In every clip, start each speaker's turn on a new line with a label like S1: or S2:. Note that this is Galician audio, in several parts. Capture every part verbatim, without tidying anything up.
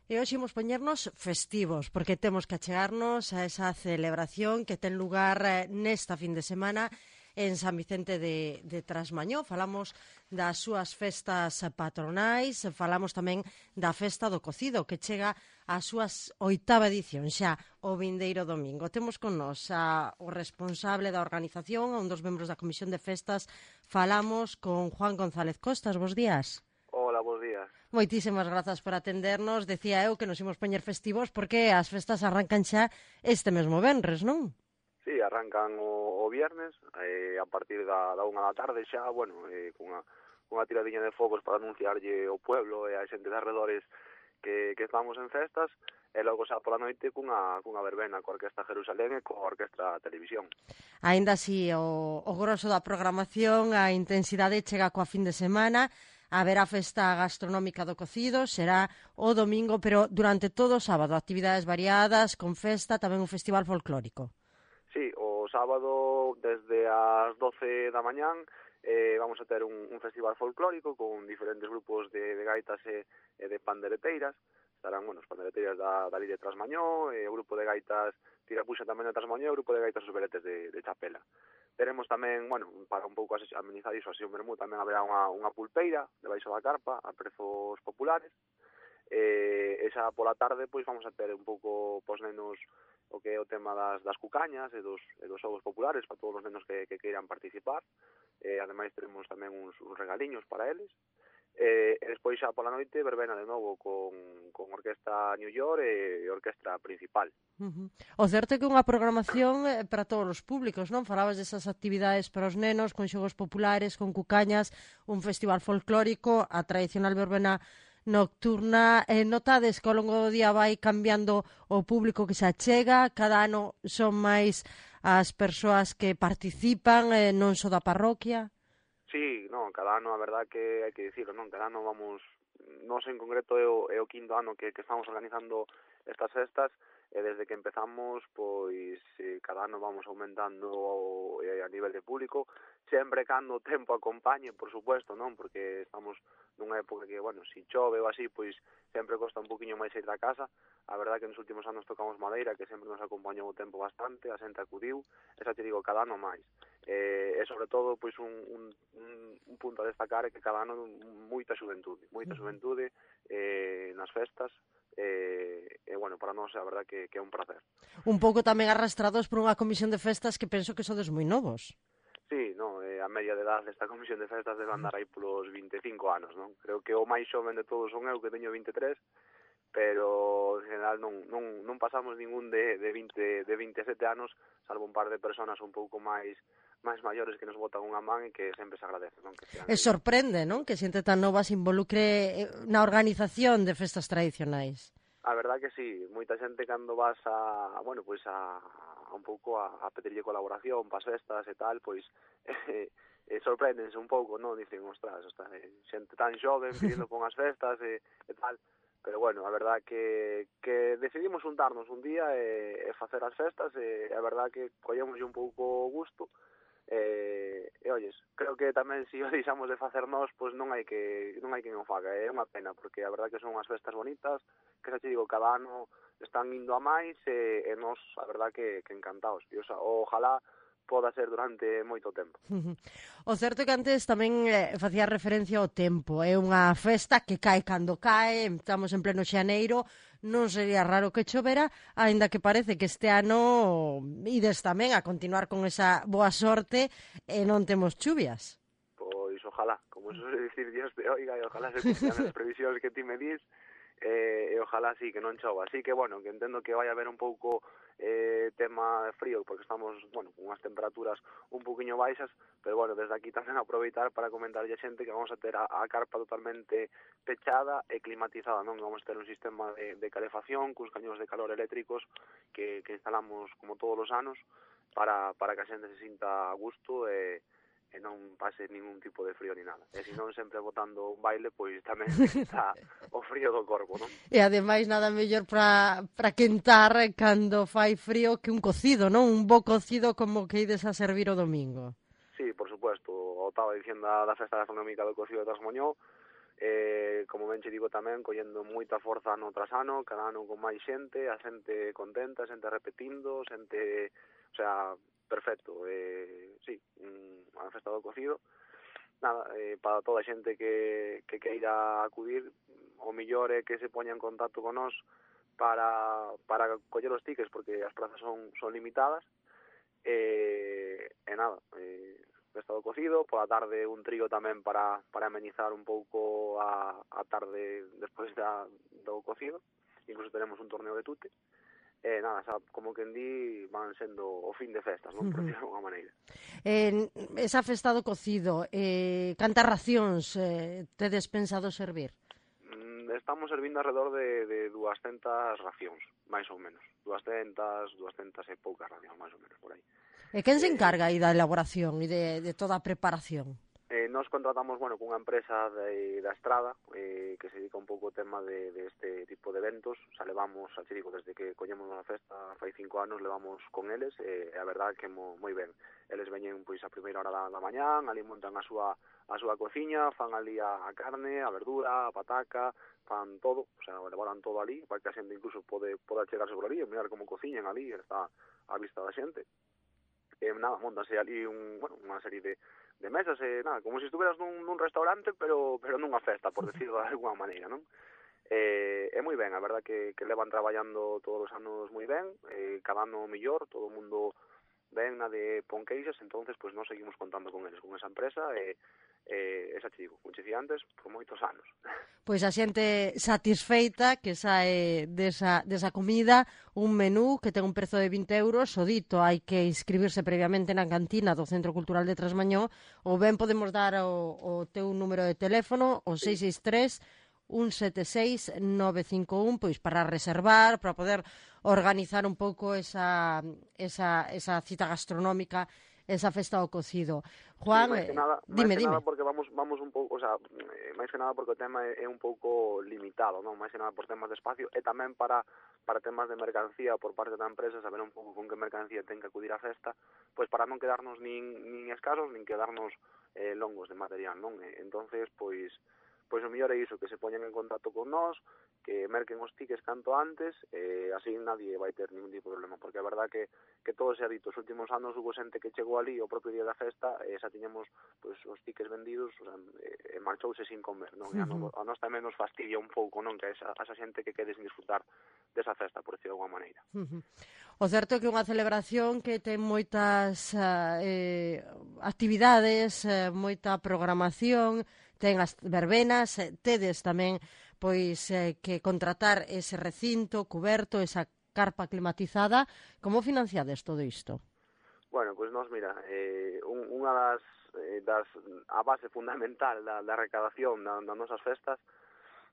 S1: E hoxe imos poñernos festivos, porque temos que achegarnos a esa celebración que ten lugar eh, nesta fin de semana en San Vicente de, de Trasmañó. Falamos das súas festas patronais, falamos tamén da festa do cocido, que chega ás súas oitava edición, xa o vindeiro domingo. Temos con nós a, o responsable da organización, a un dos membros da Comisión de Festas. Falamos con Juan González Costas. Bos días.
S2: Hola, bos días.
S1: Moitísimas grazas por atendernos. Decía eu que nos imos poñer festivos porque as festas arrancan xa este mesmo venres, non?
S2: Sí, arrancan o, o viernes, eh, a partir da, da unha da tarde xa, bueno, eh, cunha, cunha tiradiña de fogos para anunciarlle ao pueblo e a xente de arredores que, que estamos en festas, e logo xa pola noite cunha, cunha verbena coa Orquestra Jerusalén e coa Orquestra Televisión.
S1: Ainda así, o, o grosso da programación, a intensidade chega coa fin de semana. Haberá festa gastronómica do cocido, será o domingo, pero durante todo o sábado, actividades variadas, con festa, tamén un festival folclórico.
S2: Sí, o sábado desde as doce da mañán eh, vamos a ter un, un festival folclórico con diferentes grupos de, de gaitas e, e de pandereteiras. Estarán, bueno, os pandereteiras da, da Lille de Trasmañó, e o grupo de gaitas Tirapuxa tamén de Trasmañó, e o grupo de gaitas Os Veretes de, de Chapela. Teremos tamén, bueno, para un pouco amenizar iso, así un vermú, tamén haberá unha, unha pulpeira debaixo da carpa a prezos populares. E esa pola tarde, pois, vamos a ter un pouco pos nenos o que é o tema das, das cucañas e dos, e dos xogos populares para todos os nenos que, que queiran participar. E ademais teremos tamén uns, uns regaliños para eles. E, e despois xa pola noite verbena de novo con, con Orquesta New York e Orquestra Principal.
S1: Uh-huh. O certo é que unha programación eh, para todos os públicos, non? Falabas desas actividades para os nenos, con xogos populares, con cucañas, un festival folclórico, a tradicional verbena nocturna. Eh, notades que ao longo do día vai cambiando o público que se achega, cada ano son máis as persoas que participan, eh, non só da parroquia?
S2: Sí, non, cada ano a verdad que hai que dicirlo, non, cada ano vamos, nós en concreto é o, é o quinto ano que, que estamos organizando estas festas, e desde que empezamos, pois, eh, cada ano vamos aumentando o, eh, a nivel de público, sempre cando o tempo acompañe, por supuesto, non, porque estamos nunha época que, bueno, si chove ou así, pois sempre costa un poquinho máis ir da casa. A verdad que nos últimos anos tocamos madeira, que sempre nos acompañou o tempo bastante, a xente acudiu, esa te digo, cada ano máis. Eh, e sobre todo, pois, un, un, un punto a destacar é que cada ano moita xuventude, moita xuventude eh, nas festas, e, e bueno, para nós a verdad que, que é un placer.
S1: Un pouco tamén arrastrados por unha comisión de festas que penso que sodes moi novos.
S2: Sí, no, eh, a media de edad desta comisión de festas debe andar aí polos vinte e cinco anos, non? Creo que o máis xoven de todos son eu, que teño vinte e tres, pero en general non, non, non pasamos ningún de, de, veinte, de vinte e sete anos, salvo un par de personas un pouco máis máis maiores que nos botan unha man e que sempre se agradece, non? Que
S1: E sorprende, non? Que xente tan nova se involucre na organización de festas tradicionais.
S2: A verdad que sí, moita xente cando vas a, bueno, pois a, a un pouco a, a pedirlle colaboración para as festas e tal, pois eh, eh, sorpréndense un pouco, non? Dicen, ostras, ostras, eh, xente tan xoven pidiendo por unhas festas e, e tal. Pero bueno, a verdad que, que decidimos juntarnos un día e, e facer as festas, e a verdad que collemos un pouco gusto. E, e olles, creo que tamén se o deixamos de facer nós, pois non hai que non hai quen o faga, é unha pena, porque a verdad que son unhas festas bonitas, que xa te digo, cada ano están indo a máis, e, e nós, a verdad que, que encantados, e o sea, ojalá poda ser durante moito tempo.
S1: O certo é que antes tamén eh, facía referencia ao tempo. É unha festa que cae cando cae, estamos en pleno xaneiro, non sería raro que chovera, aínda que parece que este ano ides tamén a continuar con esa boa sorte e non temos chuvias.
S2: Pois ojalá, como eso se dicir Dios te oiga, e ojalá se cumplan as previsións que ti me dis, e, e ojalá sí que non chova. Así que, bueno, que entendo que vai haber un pouco eh, tema frío, porque estamos, bueno, con unhas temperaturas un poquinho baixas, pero, bueno, desde aquí tamén aproveitar para comentarlle a xente que vamos a ter a, a carpa totalmente pechada e climatizada, non? Vamos a ter un sistema de, de calefacción, cos cañóns de calor eléctricos que, que instalamos como todos os anos para, para que a xente se sinta a gusto e e non pase ningún tipo de frío ni nada. E se non sempre botando un baile, pois tamén está o frío do corpo, non?
S1: E ademais nada mellor para para quentar cando fai frío que un cocido, non? Un bo cocido como que ides a servir o domingo.
S2: Sí, por supuesto. O estaba dicindo da, da festa gastronómica do cocido de Trasmoñó, eh, como ben che digo tamén, collendo moita forza ano tras ano, cada ano con máis xente, a xente contenta, a xente repetindo, xente, o sea, perfecto, eh, sí, unha festa do cocido. Nada, eh, para toda a xente que, que queira acudir, o millor é que se poña en contacto con nós para, para coller os tickets, porque as prazas son, son limitadas. E, e nada, eh, festa do cocido, pola tarde un trío tamén para, para amenizar un pouco a, a tarde despois da, do cocido. Incluso tenemos un torneo de tute. E nada, xa, como que en di van sendo o fin de festas, non? Por decirlo de alguma maneira.
S1: En esa festa do cocido, eh, cantas racións eh, tedes pensado servir?
S2: Mm, estamos servindo alrededor de, de duascentas racións, máis ou menos. duascentas, duascentas e poucas racións, máis ou menos, por aí.
S1: E quen se
S2: Eh,
S1: encarga aí da elaboración e de, de toda a preparación?
S2: Eh, nos contratamos, bueno, cunha empresa de, da Estrada eh, que se dedica un pouco ao tema de, de este tipo de eventos. Xa levamos, xa te digo, desde que collemos a festa fai cinco anos levamos con eles e eh, a verdade que mo, moi ben. Eles veñen pois a primeira hora da, da mañán, ali montan a súa a súa cociña, fan ali a, a carne, a verdura, a pataca, fan todo, o sea, elaboran todo ali, para que a xente incluso pode, pode chegarse por ali e mirar como cociñan ali, está a vista da xente. E nada, montase ali un, bueno, unha serie de de mesas, e nada, como se estuveras nun, nun restaurante, pero pero nunha festa, por decirlo de alguma maneira, non? Eh, é moi ben, a verdad que, que levan traballando todos os anos moi ben, eh, cada ano mellor, todo o mundo ben na de Ponqueixas, entonces pues nós seguimos contando con eles, con esa empresa, e eh, esa te digo, como che dicía antes, por moitos anos.
S1: Pois a xente satisfeita que sae desa, desa comida, un menú que ten un prezo de vinte euros, o dito, hai que inscribirse previamente na cantina do Centro Cultural de Trasmañó, ou ben podemos dar o, o teu número de teléfono, o seis seis tres, un sete seis, nove cinco un, pois para reservar, para poder organizar un pouco esa, esa, esa cita gastronómica, esa festa ao cocido. Juan,
S2: sí, máis que nada,
S1: dime,
S2: máis que
S1: dime.
S2: nada porque vamos vamos un pouco, o sea, máis que nada porque o tema é, é un pouco limitado, non? Máis que nada por temas de espacio e tamén para para temas de mercancía por parte da empresa, saber un pouco con que mercancía ten que acudir á festa, pois para non quedarnos nin nin escasos, nin quedarnos eh, longos de material, non? E, entonces, pois pois o mellor é iso, que se poñen en contacto con nós, que merquen os tickets canto antes, e así nadie vai ter ningún tipo de problema, porque a verdad que, que todo se ha dito, os últimos anos hubo xente que chegou ali o propio día da festa, e xa tiñamos pues, os tickets vendidos, o sea, e, e marchouse sin comer, non? E a, no, a nós tamén nos fastidia un pouco, non? Que a esa, a esa xente que quede sin disfrutar desa festa, por decirlo de alguma maneira.
S1: Uh-huh. O certo é que é unha celebración que ten moitas uh, eh, actividades, uh, moita programación, ten as verbenas, eh, tedes tamén pois eh, que contratar ese recinto cuberto, esa carpa climatizada. Como financiades todo isto?
S2: Bueno, pois pues nós, mira, eh, un, unha das, eh, das a base fundamental da, da recadación da, das nosas festas,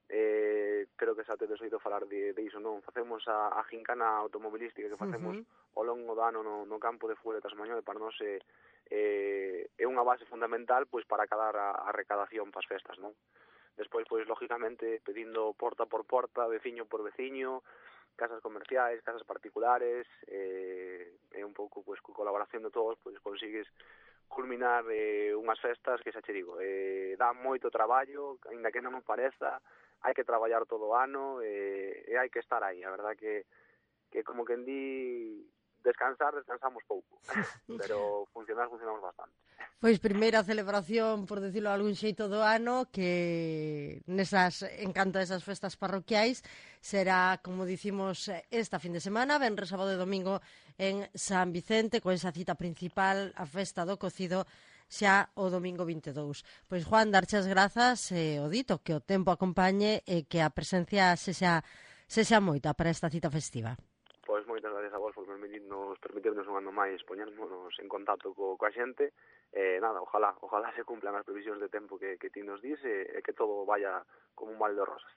S2: eh, creo que xa tedes oído falar de, de iso, non? Facemos a, a gincana automobilística que facemos uh-huh. ao longo do ano no, no campo de fútbol de Trasmañón, e para nós é, eh, é unha base fundamental pois para cadar a, a recadación para as festas, non? Despois, pois, lógicamente, pedindo porta por porta, veciño por veciño, casas comerciais, casas particulares, eh, e un pouco, pois, con colaboración de todos, pois, consigues culminar eh, unhas festas que, xa che digo, eh, dá moito traballo, ainda que non me pareza, hai que traballar todo o ano, e, e hai que estar aí. A verdad que, que como que en di, descansar, descansamos pouco, pero funcionar, funcionamos bastante.
S1: Pois primeira celebración, por decirlo de algún xeito, do ano, que nesas encanta esas festas parroquiais será, como dicimos, esta fin de semana, venres, sábado e domingo en San Vicente, con esa cita principal, a festa do cocido, xa o domingo vinte e dous. Pois, Juan, darche as grazas, e o dito, que o tempo acompañe e que a presencia sexa, sexa moita para esta cita festiva.
S2: Pois moitas gracias a vos por permitirnos, permitirnos un ano máis poñernos en contacto co, coa xente. Eh, nada, ojalá, ojalá se cumplan as previsións de tempo que, que ti nos dis, e, e que todo vaya como un mal de rosas.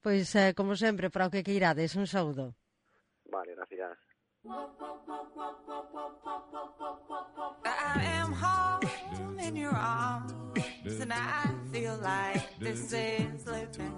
S1: Pois, eh, como sempre, para o que queirades, un saúdo.
S2: Vale, gracias.
S3: I am home in your arms, and I feel like this is living.